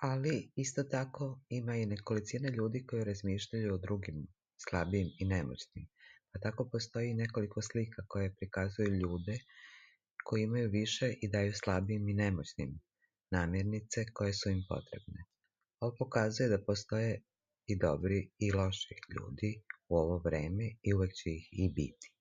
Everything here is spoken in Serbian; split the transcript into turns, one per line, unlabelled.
Ali isto tako ima i nekolicina ljudi koji razmišljaju o drugim slabijim i nemoćnim. Pa tako postoji i nekoliko slika koje prikazuju ljude koji imaju više i daju slabijim i nemoćnim namirnice koje su im potrebne. Ovo pokazuje da postoje i dobri i loši ljudi u ovo vreme i uvek će ih i biti.